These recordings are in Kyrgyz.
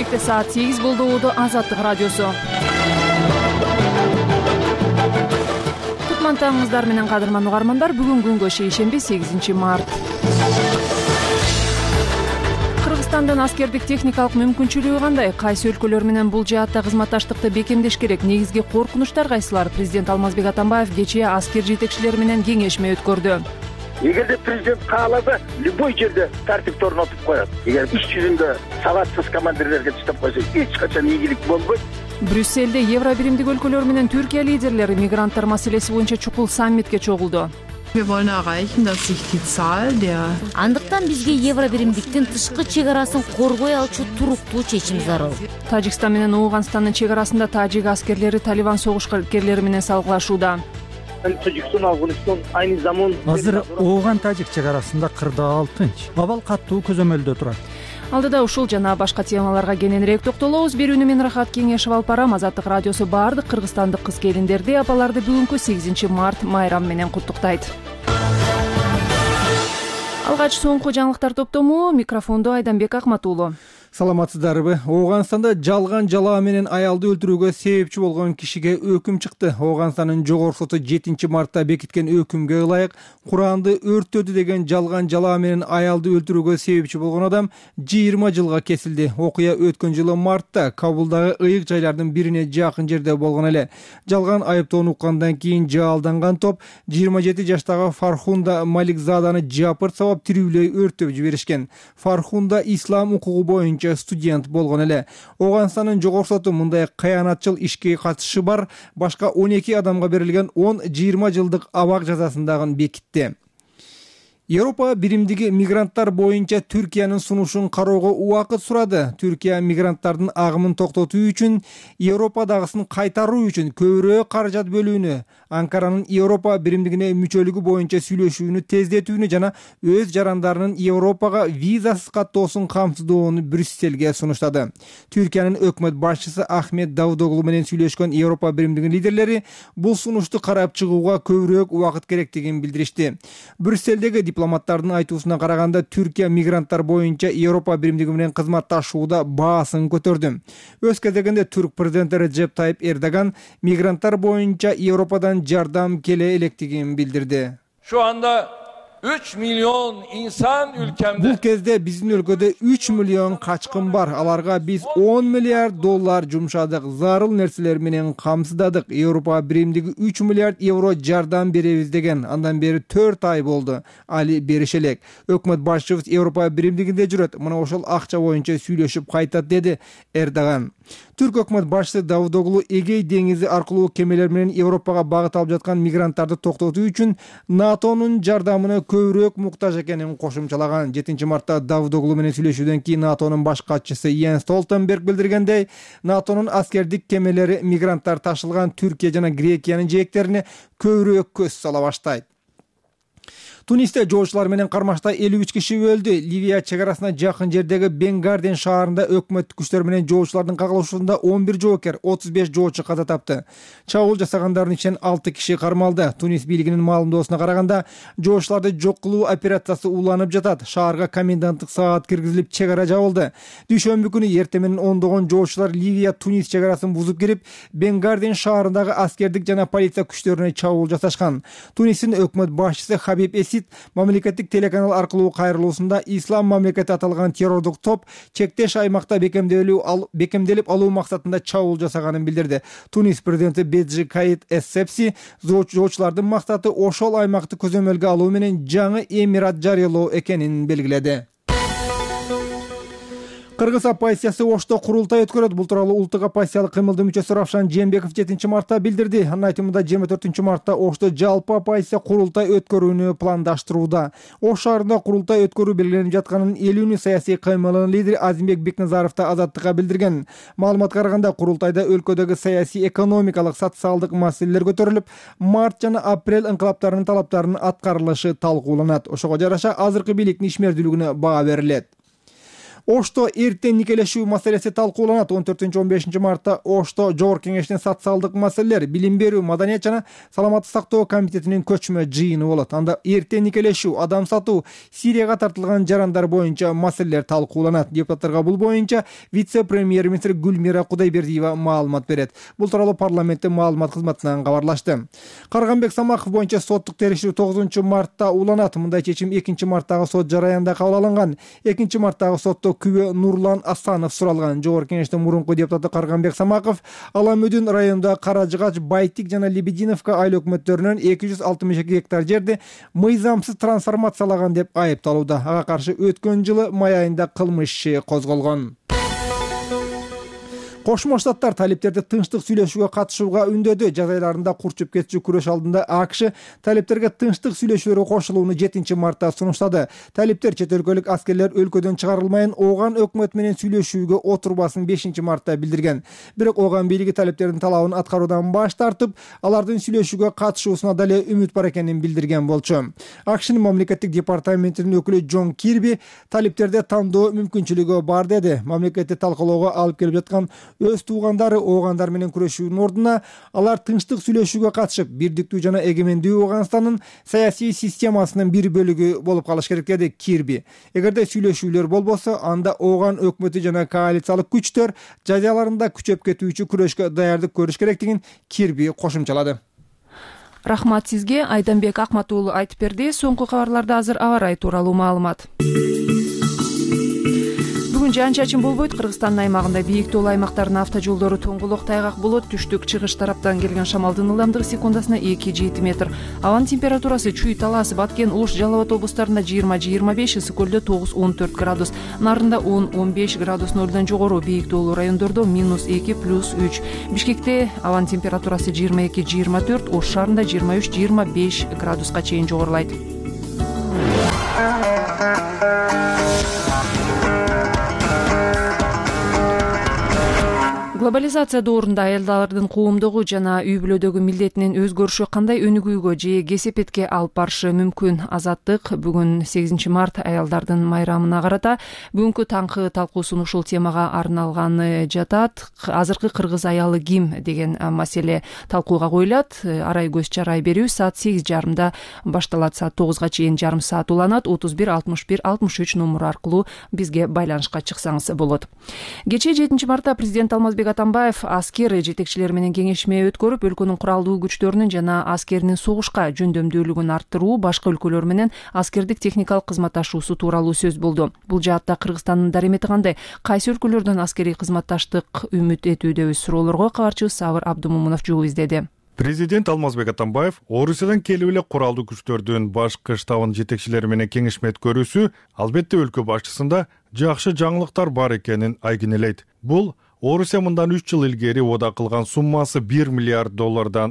Кечте саат 8 болду. Убуду Азаттык радиосу. Кутман таңыңыздар менен кадырман угармандар. Бүгүн күнгө шейшемби 8 март. Кыргызстандын аскердик техникалык мүмкүнчүлүгү кандай? Кайсы өлкөлөр менен бул жаатта кызматташтыкты бекемдеш керек? Негизги коркунучтар кайсылар? Президент Алмазбек Атамбаев кечээ аскер жетекчилери менен кеңешме өткөрдү. Эгерде президент кааласа, любой жерде тартипти орнотуп коет. Эгер иш жүзүндө сабатсыз командирлерге таштап койсо, эч качан ийгилик болбойт. Брюсселде Евро биримдик өлкөлөр менен Түркия лидерлери мигранттар маселеси боюнча чукул саммитке чогулду. Андыктан бизге Евро биримдиктин тышкы чек арасын коргой алчу туруктуу чечим зарыл. Тажикстан менен Ооганстандын чек арасында тажик аскерлери Талибан согушкерлери менен салгылашууда. Тажикстан, Афганистан айны заман. Азыр Ооган-Тажик чек арасында кырдаал тынч. Абал каттуу көзөмөлдө турат. Алдыда ушул жана башка темаларга кененирээк токтолобуз. Берүүнү мен Рахат Кеңешев алып барам. Азаттык радиосу баардык кыргызстандык кыз-келиндерди, апаларды бүгүнкү 8 март майрам менен куттуктайт. Алгач соңку жаңылыктар топтому. Микрофондо Айданбек Акматуулу. Саламатсыздарбы? Ооганстанда жалган жалаа менен аялды өлтүрүүгө себепчи болгон кишиге өкүм чыкты. Ооганстандын жогорку соту 7 мартта бекиткен өкүмгө ылайык Куранды өрттөдү деген жалган жалаа менен аялды өлтүрүүгө себепчи болгон адам 20 жылга кесилди. Окуя өткөн жылы мартта Кабулдагы ыйык жайлардын бирине жакын жерде болгон эле. Жалган айыптоону уккандан кийин жаалданган топ 27 жаштагы Фархунда Маликзаданы жапырт сабап тирүүлөй өрттөп жиберишкен. Фархунда ислам укугу боюнча студент болгон эле. Ооганстандын жогорку соту мындай кыянатчыл ишке катышы бар башка 12 адамга берилген 10-20 жылдык абак жазасын дагы бекитти. Европа биримдиги мигранттар боюнча Түркиянын сунушун кароого убакыт сурады. Түркия мигранттардын агымын токтотуу үчүн Европадагысын кайтаруу үчүн көбүрөөк каражат бөлүүнү, Анкаранын Европа биримдигине мүчөлүгү боюнча сүйлөшүүнү тездетүүнү жана өз жарандарынын Европага визасыз каттоосун камсыздоону Брюсселге сунуштады. Түркиянын өкмөт башчысы Ахмет Давудоглу менен сүйлөшкөн Европа биримдигинин лидерлери бул сунушту карап чыгууга көбүрөөк убакыт керектигин билдиришти. Брюсселдеги дипломаттардын айтуусуна караганда Түркия мигранттар боюнча Европа биримдиги менен кызматташууда баасын көтөрдү. Өз кезегинде түрк президенти Реджеп Тайип Эрдоган мигранттар боюнча Европадан жардам келе электигин билдирди. Şu anda 3 milyon insan ülkemde. Бул кезде биздин өлкөдө 3 миллион качкын бар. Аларга биз 10 миллиард доллар жумшадык, зарыл нерселер менен камсыздадык. Европа биримдиги 3 миллиард евро жардам беребиз деген. Андан бери 4 ай болду. Али берише элек. Өкмөт башчыбыз Европа биримдигинде жүрөт. Мына ошол акча боюнча сүйлөшүп кайтат, деди Эрдоган. Түрк өкмөт башчысы Давудоглу Эгей деңизи аркылуу кемелер менен Европага багыт алып жаткан мигранттарды токтотуу үчүн НАТОнун жардамына көбүрөөк муктаж экенин кошумчалаган. 7 мартта Давудоглу менен сүйлөшүүдөн кийин НАТОнун баш катчысы Йенс Столтенберг билдиргендей, НАТОнун аскердик кемелери мигранттар ташылган Түркия жана Грекиянын жээктерине көбүрөөк көз сала баштайт. Тунисте жоочулар менен кармашта 53 киши өлдү. Ливия чек арасына жакын жердеги Бенгарден шаарында өкмөт күчтөр менен жоочулардын кагылышуусунда 11 жоокер, 35 жоочу каза тапты. Чабуул жасагандардын ичинен 6 киши кармалды. Тунис бийлигинин маалымдоосуна караганда, жоочуларды жок кылуу операциясы уланып жатат. Шаарга коменданттык саат киргизилип, чек ара жабылды. Дүйшөмбү күнү эртең менен ондогон жоочулар Ливия Тунис чек арасын бузуп кирип, Бенгарден шаарындагы аскердик жана полиция күчтөрүнө чабуул жасашкан. Тунистин өкмөт башчысы Хабиб Эсид мамлекеттик телеканал аркылуу кайрылуусунда ислам мамлекети аталган террордук топ чектеш аймакта бекемделип алуу максатында чабуул жасаганын билдирди. Тунис президенти Беджи Каид Эссепси жоочулардын максаты ошол аймакты көзөмөлгө алуу менен жаңы эмират жарыялоо экенин белгиледи. Кыргыз оппозициясы Ошто курултай өткөрөт. Бул тууралуу улуттук оппозициялык кыймылдын мүчөсү Равшан Жээнбеков 7 мартта билдирди. Анын айтымында 24 мартта Ошто жалпы оппозиция курултай өткөрүүнү пландаштырууда. Ош шаарында курултай өткөрүү белгиленип жатканын элүүнү саясий кыймылынын лидери Азимбек Бекназаров да Азаттыкка билдирген. Маалыматка караганда курултайда өлкөдөгү саясий, экономикалык, социалдык маселелер көтөрүлүп, март жана апрель инкылаптарынын талаптарынын аткарылышы талкууланат. Ошого жараша азыркы бийликтин ишмердүүлүгүнө баа берилет. Ошто эртең никелешүү маселеси талкууланат. 14-15 мартта Ошто Жогорку Кеңештин социалдык маселелер, билим берүү, маданият жана саламаттык сактоо комитетинин көчмө жыйыны болот. Анда эртең никелешүү, адам сатуу, Сирияга тартылган жарандар боюнча маселелер талкууланат. Депутаттарга бул боюнча вице-премьер-министр Гүлмира Кудайбердиева маалымат берет. Бул тууралуу парламенттин маалымат кызматынан кабарлашты. Карганбек Самаков боюнча соттук териштирүү 9 мартта уланат. Мындай чечим 2 марттагы сот жараянда кабыл алынган. 2 марттагы сотто күбө Нурлан Асанов суралган. Жогорку Кеңештин мурунку депутаты Карганбек Самаков Аламүдүн районунда Каражыгач, Байтик жана Лебединовка айыл өкмөттөрүнөн 262 гектар жерди мыйзамсыз трансформациялаган деп айыпталууда. Ага каршы өткөн жылы май айында кылмыш иши козголгон. Кошмо Штаттар талиптерди тынчтык сүйлөшүүгө катышууга үндөдү. Жаз айларында курчуп кетчү күрөш алдында АКШ талиптерге тынчтык сүйлөшүүлөргө кошулууну 7 мартта сунуштады. Талиптер чет өлкөлүк аскерлер өлкөдөн чыгарылмайын, Ооган өкмөтү менен сүйлөшүүгө отурбасын 5 мартта билдирген. Бирок Ооган бийлиги талиптердин талабын аткаруудан баш тартып, алардын сүйлөшүүгө катышуусуна дале үмүт бар экенин билдирген болчу. АКШнын мамлекеттик департаментинин өкүлү Джон Кирби талиптерде тандоо мүмкүнчүлүгү бар деди. Мамлекетти талкалоого алып келип жаткан өз туугандары Оогандар менен күрөшүүнүн ордуна алар тынчтык сүйлөшүүгө катышып, бирдиктүү жана эгемендүү Ооганстандын саясий системасынын бир бөлүгү болуп калыш керек деди Кирби. Эгерде сүйлөшүүлөр болбосо, анда Ооган өкмөтү жана коалициялык күчтөр жаз айларында күчөп кетүүчү күрөшкө даярдык көрүш керектигин Кирби кошумчалады. Рахмат сизге. Айданбек Акмат уулу айтып берди. Соңку кабарларда азыр аба ырайы тууралуу маалымат. Бүгүн жаан-чачын болбойт. Кыргызстандын аймагында бийик тоол аймактарынын автожолдору тоңголок тайгак болот. Түштүк чыгыш тараптан келген шамалдын ылдамдыгы секундасына 2-7 метр. Абанын температурасы Чүй, Талас, Баткен, Ош, Жалал Абад облустарында 20-25, Ысык көлдө 9-14 градус, Нарында 10-15 градус нөлдөн жогору, бийик тоолуу райондордо -2 +3. Бишкекте абанын температурасы 22-24, Ош шаарында 23-25 градуска чейин жогорулайт. Глобализация доорунда аялдардын коомдогу жана үй бүлөдөгү милдетинин өзгөрүшү кандай өнүгүүгө же кесепетке алып барышы мүмкүн? Азаттык бүгүн 8 март аялдардын майрамына карата бүгүнкү таңкы талкуусун ушул темага арналганы жатат. Азыркы кыргыз аялы ким деген маселе талкууга коюлат. Арай көз чарай берүү саат 8:30 башталат, саат 9-га чейин жарым саат уланат. 31 61 63 номуру аркылуу бизге байланышка чыксаңыз болот. Кечээ 7 мартта президент Алмазбек Атамбаев аскер жетекчилери менен кеңешме өткөрүп, өлкөнүн куралдуу күчтөрүнүн жана аскеринин согушка жөндөмдүүлүгүн арттыруу, башка өлкөлөр менен аскердик техникалык кызматташуусу тууралуу сөз болду. Бул жаатта Кыргызстандын даремети кандай? Кайсы өлкөлөрдөн аскерий кызматташтык үмүт этүүдөбүз? Суроолорго кабарчыбыз Сабыр Абдумомунов жооп издеди. Президент Алмазбек Атамбаев Орусиядан келип эле куралдуу күчтөрдүн башкы штабынын жетекчилери менен кеңешме өткөрүүсү албетте өлкө башчысында жакшы жаңылыктар бар экенин айгинелейт. Бул Орусия мындан 3 жыл илгери ода кылган суммасы $1 миллиард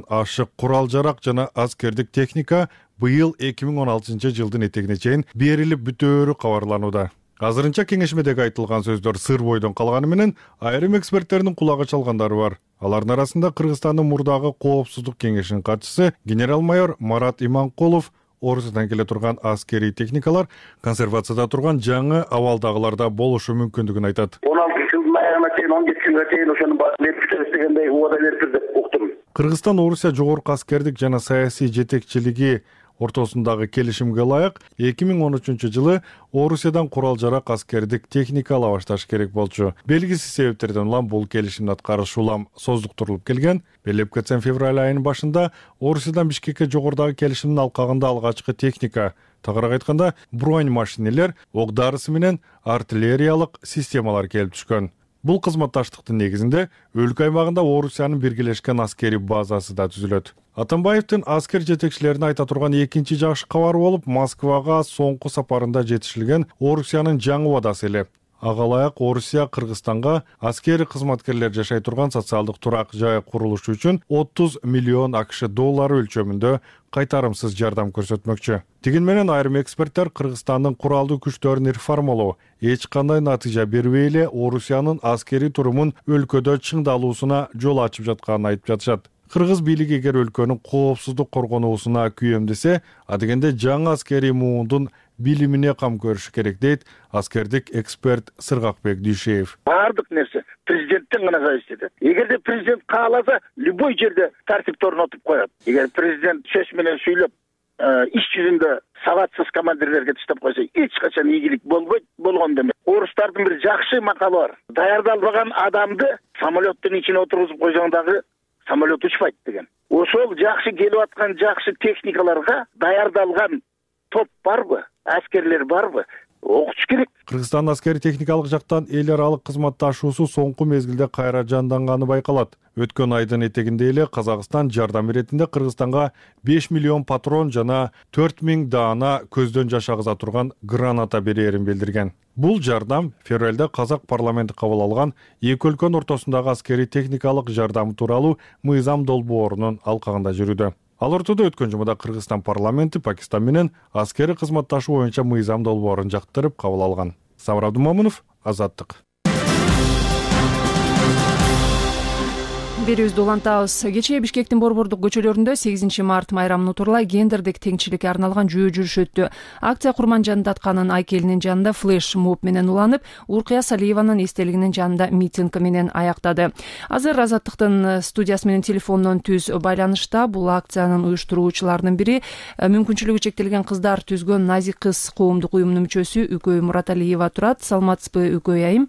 ашык курал-жарак жана аскердик техника быйыл 2016 жылдын этегине чейин берилип бүтөөрү кабарланууда. Азырынча кеңешмедеги айтылган сөздөр сыр бойдон калганы менен айрым эксперттердин кулагы чалгандары бар. Алардын арасында Кыргызстандын мурдагы коопсуздук кеңешинин катчысы генерал-майор Марат Иманкулов Орусиядан келе турган аскерий техникалар консервацияда турган жаңы абалдагыларда болушу мүмкүндүгүн айтат. 16 жылдын аягына чейин 17 жылга чейин ошону берип бүтөбүз дегендей убада бериптир деп уктум. Кыргызстан Орусия жогорку аскердик жана саясий жетекчилиги ортосундагы келишимге ылайык 2013 жылы Орусиядан курал-жарак аскердик техника ала башташ керек болчу. Белгисиз себептерден улам бул келишимдин аткарышы улам создуктурулуп келген. Белеп кетсем, февраль айынын башында Орусиядан Бишкекке жогорудагы келишимдин алкагында алгачкы техника, тагыраак айтканда бронь машинелер, ок дарысы менен артиллериялык системалар келип түшкөн. Бул кызматташтыктын негизинде өлкө аймагында Орусиянын биргелешкен аскерий базасы да түзүлөт. Атамбаевдин аскер жетекчилерин айта турган экинчи жакшы кабары болуп, Москвага соңку сапарында жетишилген Орусиянын жаңы убадасы эле. Ага ылайык Орусия Кыргызстанга аскери кызматкерлер жашай турган социалдык турак жай курулушу үчүн 30 миллион АКШ доллары өлчөмүндө кайтарымсыз жардам көрсөтмөкчү. Тигин менен айрым эксперттер Кыргызстандын куралдуу күчтөрүн реформалоо эч кандай натыйжа бербей эле Орусиянын аскерий турумун өлкөдө чыңдалуусуна жол ачып жатканын айтып жатышат. Кыргыз бийлиги эгер өлкөнүн коопсуздук коргонуусуна күйөмдесе, адегенде жаңы аскерий муундун билимине кам көрүш керек, дейт аскердик эксперт Сыргакбек Дүйшеев. Бардык нерсе президенттен гана зависит этет. Эгерде президент кааласа, любой жерде тартипти орнотуп коет. Эгер президент сөз менен сүйлөп, иш жүзүндө сабатсыз командирлерге таштап койсо, эч качан ийгилик болбойт, болгон демек. Орустардын бир жакшы макалы бар. Даярдалбаган адамды самолеттин ичине отургузуп койсоң дагы самолет учпайт деген. Ошол жакшы келип аткан жакшы техникаларга даярдалган топ барбы, аскерлер барбы? Окутуш керек. Кыргызстан аскери техникалык жактан эл аралык кызматташуусу соңку мезгилде кайра жанданганы байкалат. Өткөн айдын этегинде эле Казакстан жардам иретинде Кыргызстанга 5 миллион патрон жана 4000 даана көздөн жашагыза турган граната берээрин билдирген. Бул жардам февралда Казак парламенти кабыл алган эки өлкөнүн ортосундагы аскери техникалык жардам тууралуу мыйзам долбоорунун алкагында жүрүүдө. Ал ортодо өткөн жумада Кыргызстан парламенти Пакистан менен аскери кызматташуу боюнча мыйзам долбоорун жактырып кабыл алган. Самыр Абдумомунов, Азаттык. Берүүбүздү улантабыз. Кечээ Бишкектин борбордук көчөлөрүндө 8 март майрамын утурлай гендердик теңчиликке арналган жүйө жүрүш өттү. Акция Курман Жандатканын айкелинин жанында флеш моб менен уланып, Уркыя Салиеванын эстелигинин жанында митинг менен аяктады. Азыр Азаттыктын студиясы менен телефондон түз байланышта бул акциянын уюштуруучуларынын бири мүмкүнчүлүгү чектелген кыздар түзгөн Назик кыз коомдук уюмунун мүчөсү Үкөй Мураталиева турат. Саламатсызбы, Үкөй айым?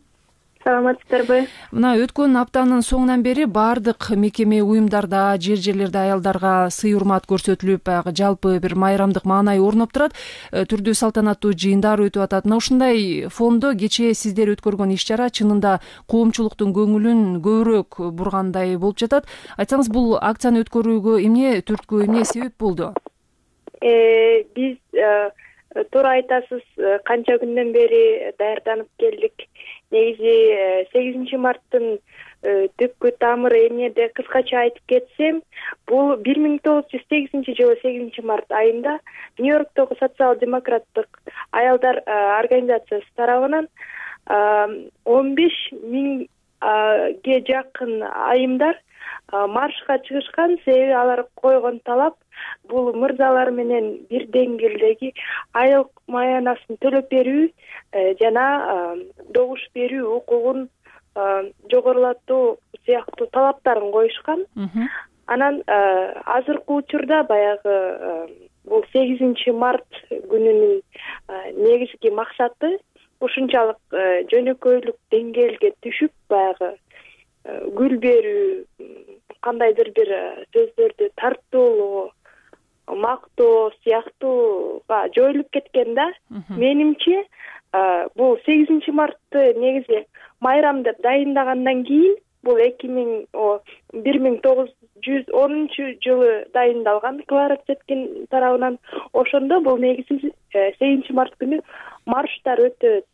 Саламатсыздарбы. Мына өткөн аптанын соңунан бери бардык мекеме уюмдарда, жер-жерлерде аялдарга сый урмат көрсөтүлүп, жалпы бир майрамдык маанай орноп турат. Түрдүү салтанаттуу жыйындар өтүп атат. Мына ушундай фондо кечээ сиздер өткөргөн иш-чара чынында коомчулуктун көңүлүн көбүрөөк бургандай болуп жатат. Айтсаңыз, бул акцияны өткөрүүгө эмне түрткү, эмне себеп болду? Биз туура айтасыз, канча күндөн бери даярданып келдик. Негизи 8 марттын түпкү тамыры эмнеде кыскача айтып кетсем, бул 1908 жылы 8 март айында Нью-Йорктогу социал-демократтык аялдар организациясы тарабынан 15 миңге жакын айымдар маршка чыгышкан. Себеби алар койгон талап бул мырзалар менен бир деңгээлдеги айлык маянасын төлөп берүү жана добуш берүү укугун жогорулатуу сыяктуу талаптарын коюшкан. Анан азыркы учурда баягы бул 8 март күнүнүн негизги максаты ушунчалык жөнөкөйлүк деңгээлге түшүп, баягы гүл берүү, кандайдыр бир сөздөрдү тартуулоо, мактоо сыяктууга жоюлуп кеткен да. Менимче бул 8 мартты негизи майрам деп дайындагандан кийин, бул 1910 жылы дайындалган Клара Цеткин тарабынан. Ошондо бул негизи 8 март күнү марштар өтөт.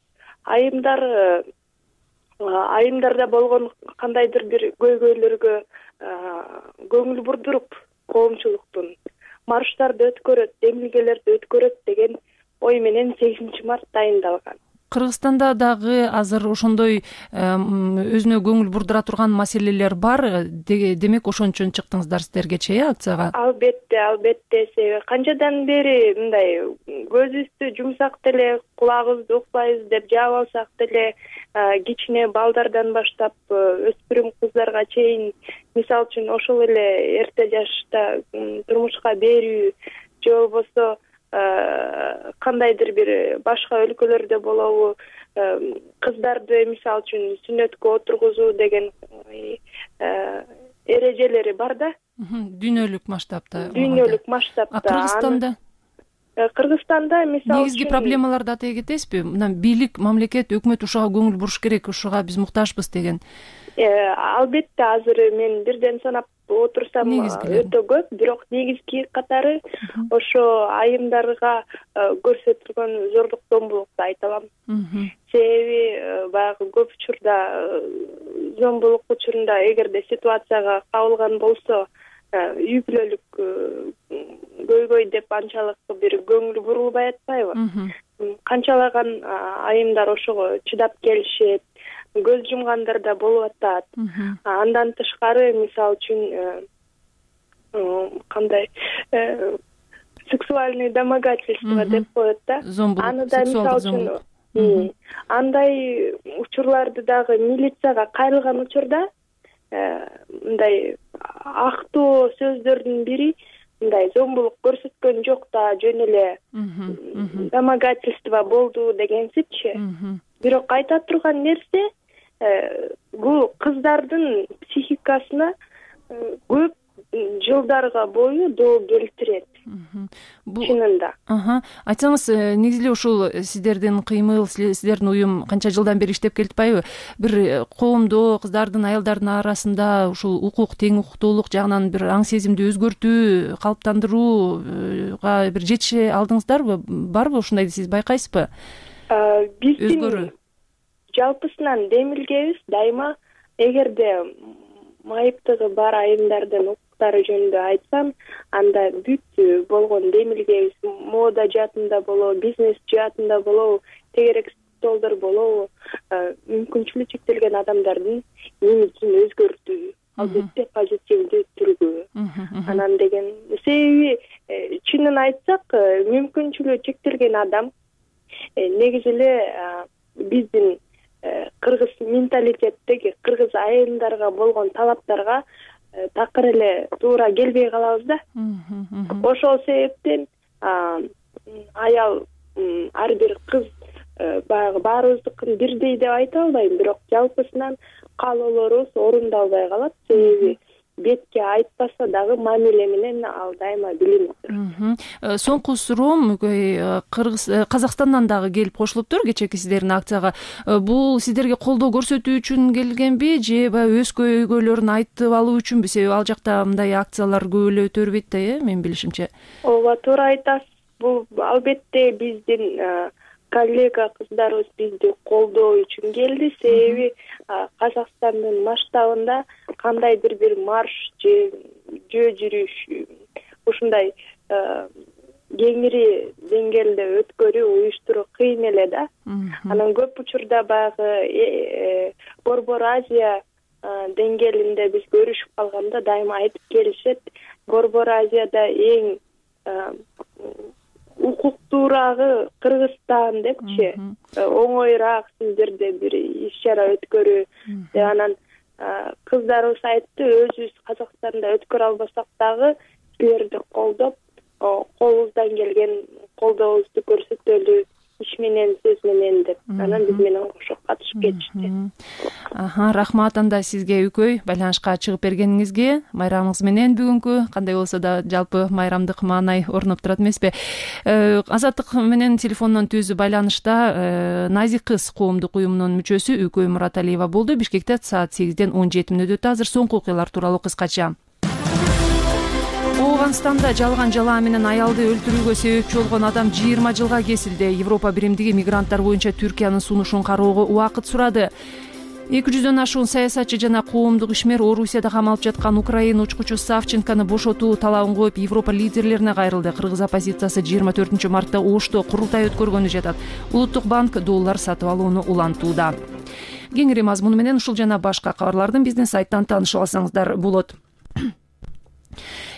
Айымдарда болгон кандайдыр бир көйгөйлөргө көңүл бурдуруп, коомчулуктун марштарды өткөрөт, демилгелерди өткөрөт деген ой менен 8 март дайындалган. Кыргызстанда дагы азыр ошондой өзүнө көңүл бурдура турган маселелер бар. Демек ошон үчүн чыктыңыздар сиздергече акцияга? Албетте. Себеби канчадан бери мындай көзүбүздү жумсак деле, кулагыбызды укпайбыз деп жаап алсак деле, кичине балдардан баштап өспүрүм кыздарга чейин, мисалы үчүн ошол эле эрте жашта турмушка берүү же болбосо кандайдыр бир башка өлкөлөрдө болобу, кыздарды мисалы үчүн сүннөткө отургузуу деген эрежелери бар да. Дүйнөлүк масштабта. Кыргызстанда мисалы негизги проблемаларды атай кетесизби? Мына бийлик, мамлекет, өкмөт ушуга көңүл буруш керек, ушуга биз муктажбыз деген. Албетте, азыр мен бирден санап отурсам өтө көп, бирок негизги катары ошо айымдарга көрсөтүлгөн зордук зомбулукту айта алам. Себеби баягы көп учурда зомбулук учурунда эгерде ситуацияга кабылган болсо, үй бүлөлүк көйгөй деп анчалык бир көңүл бурулбай атпайбы? Канчалаган айымдар ошого чыдап келишет, көз жумгандар да болуп атат. Андан тышкары, мисалы үчүн кандай сексуальный домогательство деп коет да. Аны да мисалы үчүн андай учурларды дагы милицияга кайрылган учурда мындай актоо сөздөрдүн бири мындай зомбулук көрсөткөн жок да, жөн эле домогательство болду дегенсипчи. Бирок айта турган нерсе бул кыздардын психикасына көп жылдарга бою доо келтирет. Чынында. Айтсаңыз, негизи эле ушул сиздердин кыймыл, сиздердин уюм канча жылдан бери иштеп келатпайбы? Бир коомдо кыздардын, аялдардын арасында ушул укук, тең укуктуулук жагынан бир аң сезимди өзгөртүү, калыптандырууга бир жетише алдыңыздарбы? Барбы ушундай сиз байкайсызбы? Биздин жалпысынан демилгебиз дайыма эгерде майыптыгы бар айымдардын укуктары жөнүндө айтсам, анда бүт болгон демилгебиз мода жаатында болобу, бизнес жаатында болобу, тегерек столдор болобу, мүмкүнчүлүгү чектелген адамдардын имиджин өзгөртүү, албетте позитивдүү түргө. Анан деген себеби чынын айтсак, мүмкүнчүлүгү чектелген адам негизи эле биздин кыргыз менталитеттеги кыргыз айымдарга болгон талаптарга такыр эле туура келбей калабыз да. Ошол себептен аял ар бир кыз баягы баарыбыздыкын бирдей деп айта албайм, бирок жалпысынан каалоолорубуз орундалбай калат. Себеби бетке айтпаса дагы мамиле менен ал дайыма билинип турат. Соңку суроом Казакстандан дагы келип кошулуптур кечээки сиздердин акцияга. Бул сиздерге колдоо көрсөтүү үчүн келгенби же баягы өз көйгөйлөрүн айтып алуу үчүнбү? Себеби ал жакта мындай акциялар көп эле өтө бербейт да, менин билишимче. Ооба, туура айтасыз. Бул албетте биздин коллега кыздарыбыз бизди колдоо үчүн келди. Себеби Казакстандын масштабында кандайдыр бир марш же жүрүш ушундай кеңири деңгээлде өткөрүү, уюштуруу кыйын эле да. Анан көп учурда баягы Борбор Азия деңгээлинде биз көрүшүп калганда дайыма айтып келишет. Борбор Азияда эң укуктуурагы Кыргызстан депчи, оңоюраак сиздерде бир иш-чара өткөрүү деп. Анан кыздарыбыз айтты, өзүбүз Казакстанда өткөрө албасак дагы силерди колдоп, колубуздан келген колдообузду көрсөтөлү иш менен, сөз менен деп. Анан биз менен кошо катышып кетишти. Рахмат анда сизге үкөй байланышка чыгып бергениңизге. Майрамыңыз менен бүгүнкү кандай болсо да жалпы майрамдык маанай орноп турат эмеспи? Азаттык менен телефондон түз байланышта Назик кыз коомдук уюмунун мүчөсү Үкөй Мураталиева болду. Бишкекте саат 8ден 17 мүнөт өтө. Азыр соңку окуялар тууралуу кыскача. Афганистанда жалган жалаа менен аялды өлтүрүүгө себепчи болгон адам 20 жылга кесилди. Европа биримдиги мигранттар боюнча Түркиянын сунушун кароого убакыт сурады. 200дөн ашуун саясатчы жана коомдук ишмер Орусияда камалып жаткан Украина учкучу Савченкону бошотуу талабын коюп Европа лидерлерине кайрылды. Кыргыз оппозициясы 24-мартта Ошто курултай өткөргөнү жатат. Улуттук банк доллар сатып алууну улантууда. Кеңири мазмуну менен ушул жана башка кабарлардын биздин сайттан таанышып алсаңыздар болот.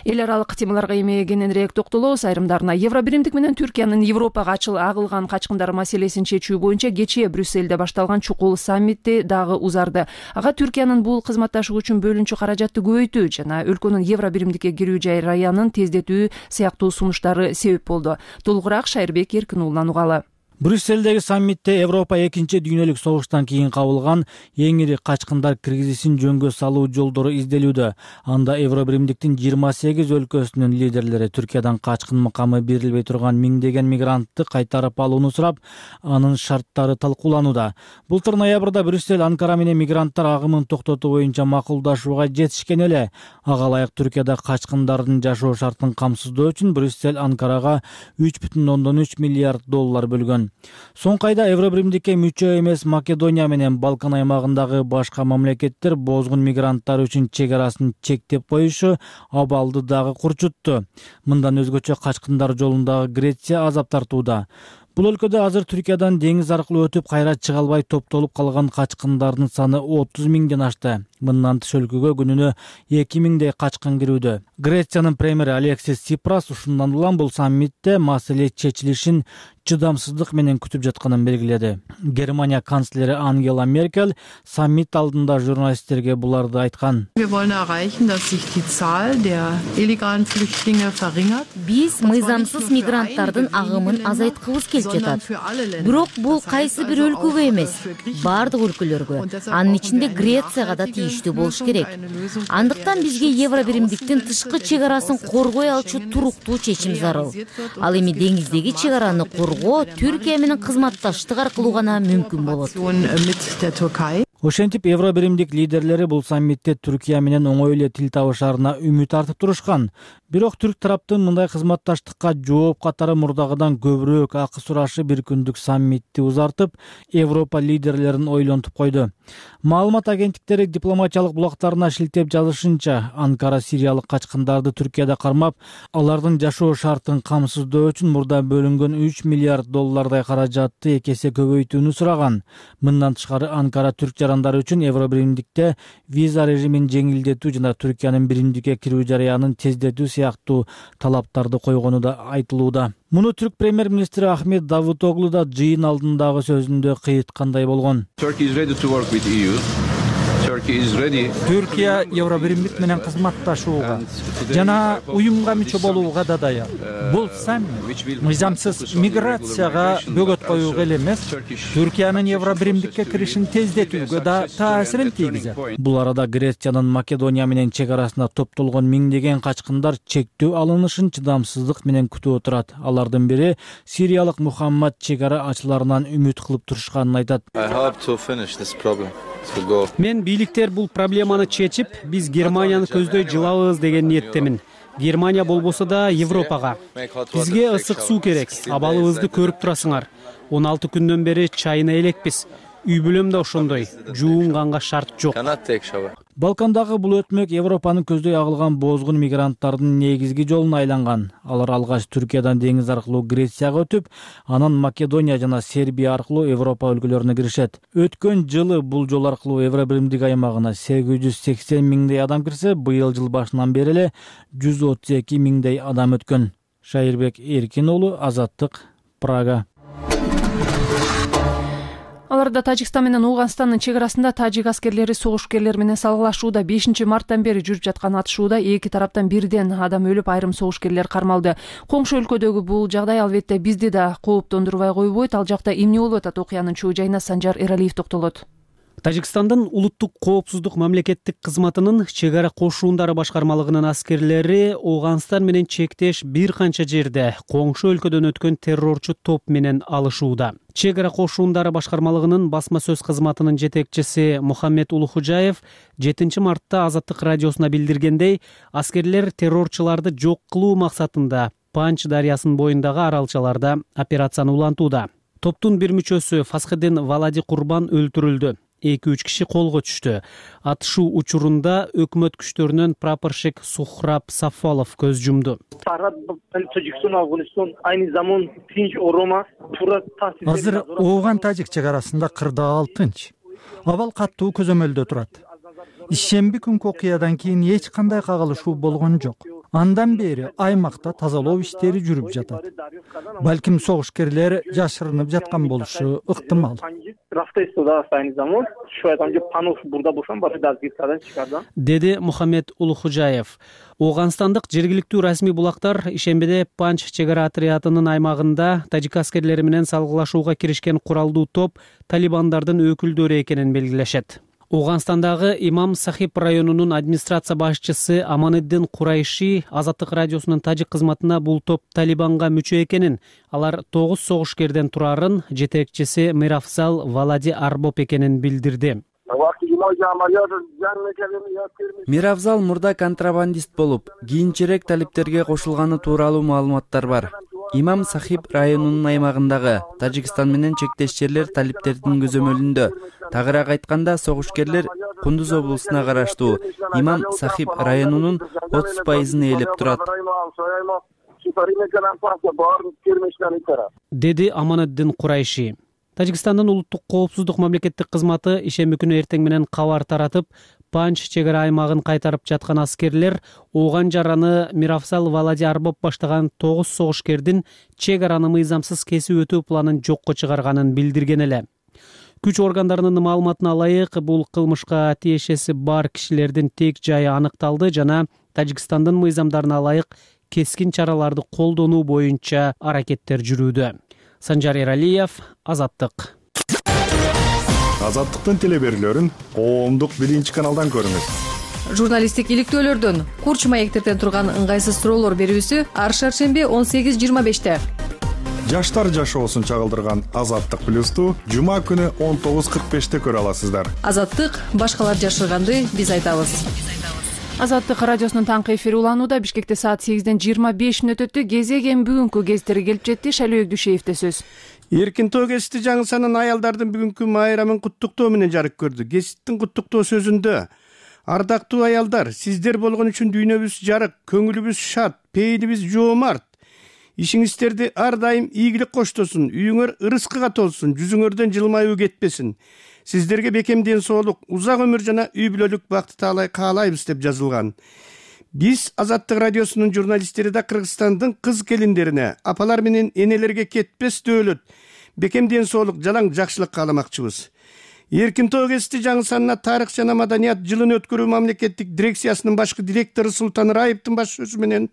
Эл аралык темаларга эми кененирээк токтолобуз. Айрымдарына Евробиримдик менен Түркиянын Европага агылган качкындар маселесин чечүү боюнча кечээ Брюссельде башталган чукул саммитти дагы узарды. Ага Түркиянын бул кызматташуу үчүн бөлүнчү каражатты көбөйтүү жана өлкөнүн Евробиримдикке кирүү жараянын тездетүү сыяктуу сунуштары себеп болду. Толугураак Шайырбек Эркин уулунан угалы. Брюссельдеги саммитте Европа 2-дүйнөлүк согуштан кийин кабылган эң ири качкындар кризисин жөнгө салуу жолдору изделүүдө. Анда Евробиримдиктин 28 өлкөсүнүн лидерлери Түркиядан качкын макамы берилбей турган миңдеген мигрантты кайтарып алууну сурап, анын шарттары талкууланууда. Былтыр ноябрда Брюссель Анкара менен мигранттар агымын токтотуу боюнча макулдашууга жетишкен эле. Ага ылайык Түркияда качкындардын жашоо шартын камсыздоо үчүн Брюссель Анкарага 3,3 миллиард доллар бөлгөн. Соңку айда Евробиримдикке мүчө эмес Македония менен Балкан аймагындагы башка мамлекеттер бозгун мигранттар үчүн чек арасын чектеп коюшу абалды дагы курчутту. Мындан өзгөчө качкындар жолундагы Греция азап тартууда. Бул өлкөдө азыр Түркиядан деңиз аркылуу өтүп кайра чыга албай топтолуп калган качкындардын саны 30 миңден ашты. Мындан тыш өлкөгө күнүнө 2000дей качкын кирүүдө. Грециянын премьери Алексис Ципрас ушундан улам бул саммитте маселе чечилишин чыдамсыздык менен күтүп жатканын белгиледи. Германия канцлери Ангела Меркель саммит алдында журналисттерге буларды айткан. Биз мыйзамсыз мигранттардын агымын азайткыбыз келип жатат. Бирок бул кайсы бир өлкөгө эмес, бардык өлкөлөргө, анын ичинде Грецияга да тийиштүү болуш керек. Андыктан бизге евро биримдиктин тышкы чегарасын коргой алчу туруктуу чечим зарыл. Ал эми деңиздеги чегараны коргоо Түркия менен кызматташтык аркылуу гана мүмкүн болот. Ошентип евро биримдик лидерлери бул саммитте Түркия менен оңой эле тил табышаарына үмүт артып турушкан. Бирок түрк тараптын мындай кызматташтыкка жооп катары мурдагыдан көбүрөөк акы сурашы бир күндүк саммитти узартып, Европа лидерлерин ойлонтуп койду. Маалымат агенттиктери дипломатиялык булактарына шилтеп жазышынча, Анкара сириялык качкындарды Түркияда кармап, алардын жашоо шартын камсыздоо үчүн мурда бөлүнгөн $3 миллиард каражатты эки эсе көбөйтүүнү сураган. Мындан тышкары Анкара түрк жарандары үчүн евро биримдикте виза режимин жеңилдетүү жана Түркиянын биримдикке кирүү жарыянын тездетүү сыяктуу талаптарды койгону да айтылууда. Муну түрк премьер-министри Ахмет Давутоглу да жыйын алдындагы сөзүндө кыйыткандай болгон. Түркия евро биримдик менен кызматташууга жана уюмга мүчө болууга да даяр. Бул саммит мыйзамсыз миграцияга бөгөт коюуга эле эмес, Түркиянын евро биримдикке киришин тездетүүгө да таасирин тийгизет. Бул арада Грециянын Македония менен чегарасына топтолгон миңдеген качкындар чектөө алынышын чыдамсыздык менен күтүп отурат. Алардын бири сириялык Мухаммад чегара ачыларынан үмүт кылып турушканын айтат. Мен бийликтер бул проблеманы чечип, биз Германияны көздөй жылабыз деген ниеттемин. Германия болбосо да Европага. Бизге ысык суу керек. Абалыбызды көрүп турасыңар. 16 күндөн бери чайына элекпиз. Үй бүлөм да ошондой. Жуунганга шарт жок. Балкандагы бул өтмөк Европаны көздөй агылган боозгун мигранттардын негизги жолуна айланган. Алар алгач Түркиядан деңиз аркылуу Грецияга өтүп, анан Македония жана Сербия аркылуу Европа өлкөлөрүнө киришет. Өткөн жылы бул жол аркылуу евро биримдик аймагына 880 миңдей адам кирсе, быйыл жыл башынан бери эле 132 миңдей адам өткөн. Шайырбек Эркин уулу, Азаттык, Прага. Аларда Тажикстан менен Ооганстандын чегарасында тажик аскерлери согушкерлер менен салгылашууда. 5 марттан бери жүрүп жаткан атышууда эки тараптан бирден адам өлүп, айрым согушкерлер кармалды. Коңшу өлкөдөгү бул жагдай албетте бизди да кооптондурбай койбойт. Ал жакта эмне болуп атат? Окуянын чоо жайына Санжар Эралиев токтолот. Тажикстандын улуттук коопсуздук мамлекеттик кызматынын чегара кошуундары башкармалыгынын аскерлери Ооганстан менен чектеш бир канча жерде коңшу өлкөдөн өткөн террорчу топ менен алышууда. Чегара кошуундары башкармалыгынын басма сөз кызматынын жетекчиси Мухаммед Улухужаев 7 мартта Азаттык радиосуна билдиргендей, аскерлер террорчуларды жок кылуу максатында Панч дарыясынын боюндагы аралчаларда операцияны улантууда. Топтун бир мүчөсү Фасхиддин Валади Курбан өлтүрүлдү. 2-3 киши колго түштү. Атышуу учурунда өкмөт күчтөрүнөн прапорщик Сухраб Сафолов көз жумду. Азыр Ооган-Тажик чегарасында кырдаал тынч. Абал каттуу көзөмөлдө турат. Ишемби күнкү окуядан кийин эч кандай кагылышуу болгон жок. Андан бери аймакта тазалоо иштери жүрүп жатат. Балким согушкерлер жашырынып жаткан болушу ыктымал. Деди Мухаммед Улухужаев. Ооганстандык жергиликтүү расмий булактар ишембиде Панч чегара отрядынын аймагында тажик аскерлери менен салгылашууга киришкен куралдуу топ талибандардын өкүлдөрү экенин белгилешет. Ооганстандагы Имам Сахиб районунун администрация башчысы Аманиддин Курайши Азаттык радиосунун тажик кызматына бул топ талибанга мүчө экенин, алар 9 согушкерден турарын, жетекчиси Миравзал Валади Арбоп экенин билдирди. Миравзал мурда контрабандист болуп, кийинчерээк талиптерге кошулганы тууралуу маалыматтар бар. Имам Сахиб районунун аймагындагы Тажикстан менен чектеш жерлер талиптердин көзөмөлүндө. Тагыраак айтканда, согушкерлер Кундуз облусуна караштуу Имам Сахиб районунун 30% ээлеп турат. Деди Аманиддин Курайши. Тажикстандын улуттук коопсуздук мамлекеттик кызматы ишемби күнү эртең менен кабар таратып, Панч чек ара аймагын кайтарып жаткан аскерлер Ооган жараны Миравзал Валади Арбов баштаган 9 согушкердин чек араны мыйзамсыз кесип өтүү планын жокко чыгарганын билдирген эле. Күч органдарынын маалыматына ылайык, бул кылмышка тиешеси бар кишилердин тек жайы аныкталды жана Тажикстандын мыйзамдарына ылайык кескин чараларды колдонуу боюнча аракеттер жүрүүдө. Санжар Эралиев, Азаттык. Азаттыктын телеберүүлөрүн коомдук 1-каналдан көрүңүз. Журналисттик иликтөөлөрдөн, курч маектерден турган ыңгайсыз суроолор берүүсү ар шаршемби 18:25-те. Жаштар жашоосун чагылдырган Азаттык плюсту жума күнү 19:45-те көрө аласыздар. Азаттык башкалар жашырганды биз айтабыз. Азаттык радиосунун таңкы эфири уланууда. Бишкекте саат 8:25 өтөттү. Кезеген бүгүнкү кездери келип жетти. Шайлоо Дүйшеевде сөз. Эркин тоо гезити жаңы санын аялдардын бүгүнкү майрамын куттуктоо менен жарык көрдү. Гезиттин куттуктоо сөзүндө: ардактуу аялдар, сиздер болгон үчүн дүйнөбүз жарык, көңүлүбүз шат, пейилибиз жоомарт. Ишиңиздерди ар дайым ийгилик коштосун, үйүңөр ырыскыга толсун, жүзүңөрдөн жылмаюу кетпесин. Сиздерге бекем ден соолук, узак өмүр жана үй бүлөлүк бакыт каалайбыз деп жазылган. Биз Азаттык радиосунун журналисттери да Кыргызстандын кыз келиндерине, апалар менен энелерге кетпес дөөлөт, бекем ден соолук, жалаң жакшылык кааламакчыбыз. Эркин тоо гезити жаңы санына тарых жана маданият жылын өткөрүү мамлекеттик дирекциясынын башкы директору Султан Раевдин баш сөзү менен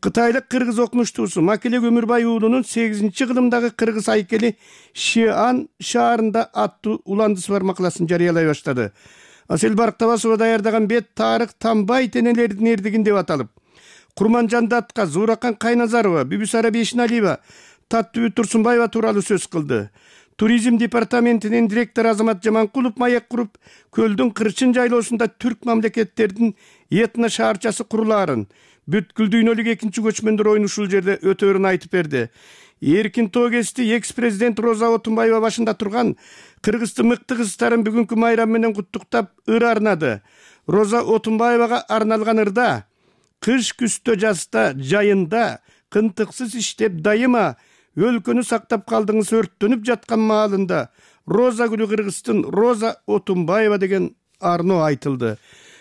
кытайлык кыргыз окумуштуусу Макелек Өмүрбай уулунун 8-кылымдагы кыргыз айкели Шиан шаарында аттуу уландысы бар макаласын жарыялай баштады. Асел Барктабасова даярдаган бет тарых Тамбай тенелердин эрдигин деп аталып, Курманжан Датка, Зууракан Кайназарова, Бүбүсара Бешиналиева, Таттыбү Турсунбаева тууралуу сөз кылды. Туризм департаментинин директору Азамат Жаманкулов маек куруп, көлдүн кырчын жайлоосунда түрк мамлекеттердин этно шаарчасы курулаарын, бүткүл дүйнөлүк экинчи көчмөндөр ойуну ушул жерде өтөөрүн айтып берди. Эркин тоо гезити экс-президент Роза Отунбаева башында турган Кыргыздын мыкты кыздарын бүгүнкү майрам менен куттуктап ыр арнады. Роза Отунбаевага арналган ырда: кыш күздө жазда жайында кынтыксыз иштеп дайыма өлкөнү сактап калдыңыз өрттөнүп жаткан маалында Роза гүлү Кыргыздын Роза Отунбаева деген арноо айтылды.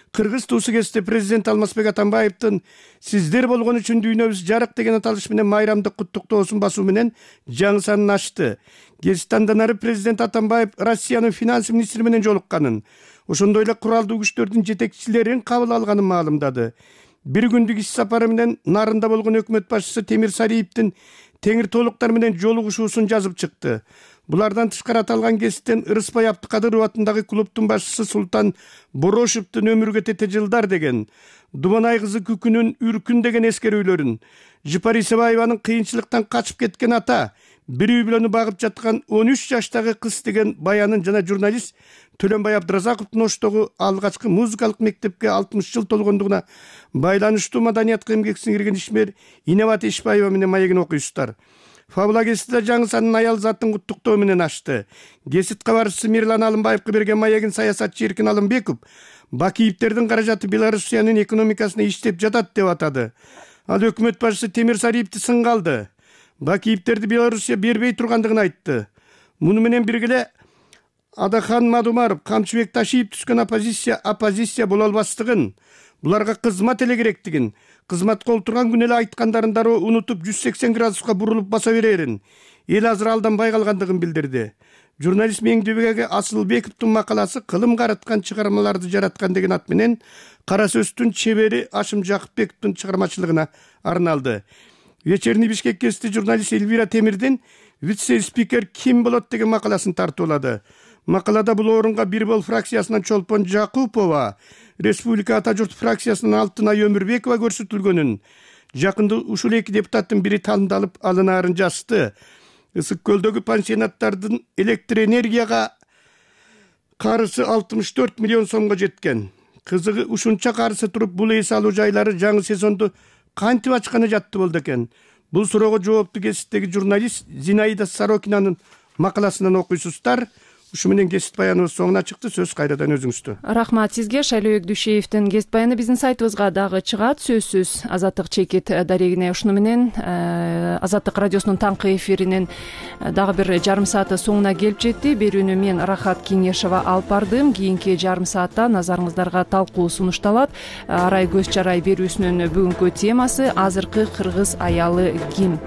Кыргыз туусу кезте президент Алмазбек Атамбаевдин сиздер болгон үчүн дүйнөбүз жарык деген аталыш менен майрамдык куттуктоосун басуу менен жаңы санын ачты. Гезит андан ары президент Атамбаев Россиянын финанс министри менен жолукканын, ошондой эле куралдуу күчтөрдүн жетекчилерин кабыл алганын маалымдады. Бир күндүк иш сапары менен Нарында болгон өкмөт башчысы Темир Сариевдин теңир толуктар менен жолугушуусун жазып чыкты. Булардан тышкары аталган гезиттен Ырыспай Абдыкадыров атындагы клубдун башчысы Султан Борошевдин өмүргө тете жылдар деген, Думанай кызы Күкүнүн Үркүн деген эскерүүлөрүн, Жыпар Исебаеванын кыйынчылыктан качып кеткен ата, бир үй бүлөнү багып жаткан 13 жаштагы кыз деген баянын жана журналист Төлөнбай Абдыразаковдун Оштогу алгачкы музыкалык мектепке 60 жыл толгондугуна байланыштуу маданиятка эмгек сиңирген ишмер Инебат Ишбаева менен маегин окуйсуздар. Фабула гезитте жаңы санын аял затын куттуктоо менен ачты. Гезит кабарчысы Мирлан Алымбаевга берген маегин саясатчы Эркин Алымбеков Бакиевтердин каражаты Белоруссиянын экономикасына иштеп жатат деп атады. Ал өкмөт башчысы Темир Сариевди сынга алды. Бакиевтерди Белоруссия бербей тургандыгын айтты. Муну менен бирге эле Адахан Мадумаров, Камчыбек Ташиев түскөн оппозиция боло албастыгын, буларга кызмат эле керектигин, кызматка олтурган күнү эле айткандарын дароо унутуп 180 градуска бурулуп баса берерин, эл азыр алданбай калгандыгын билдирди. Журналист Меңдебек Асылбековдун макаласы кылым караткан чыгармаларды жараткан деген ат менен Кара сөздүн чебери Ашым Жакыпбековдун чыгармачылыгына арналды. Вечерний Бишкек гезити журналист Эльвира Темирдин вице-спикер ким болот деген макаласын тартуулады. Макалада бул орунга бир бол фракциясынан Чолпон Жакупова, Республика Ата журт фракциясынан Алтынай Өмүрбекова көрсөтүлгөнүн, жакында ушул эки депутаттын бири тандалып алынаарын жазды. Ысык көлдөгү пансионаттардын электр энергияга карызы 64 миллион сомго жеткен. Кызыгы ушунча карызы туруп бул эс алуу жайлары жаңы сезонду кантип ачканы жатты болду экен? Бул суроого жоопту гезиттеги журналист Зинаида Сорокинанын макаласынан окуйсуздар. Ушу менен кесип баяныбыз соңуна чыкты. Сөз кайрадан өзүңүздө. Рахмат сизге. Шайлообек Дүйшеевдин кесип баяны биздин сайтыбызга дагы чыгат. Сөзсүз Азаттык чекит дарегине. Ушуну менен Азаттык радиосунун таңкы эфиринин дагы бир жарым сааты соңуна келип жетти. Берүүнү мен Рахат Кеңешова алып бардым. Кийинки жарым саатта назарыңыздарга талкуу сунушталат. Арай көз чарай берүүсүнүн бүгүнкү темасы азыркы кыргыз аялы ким?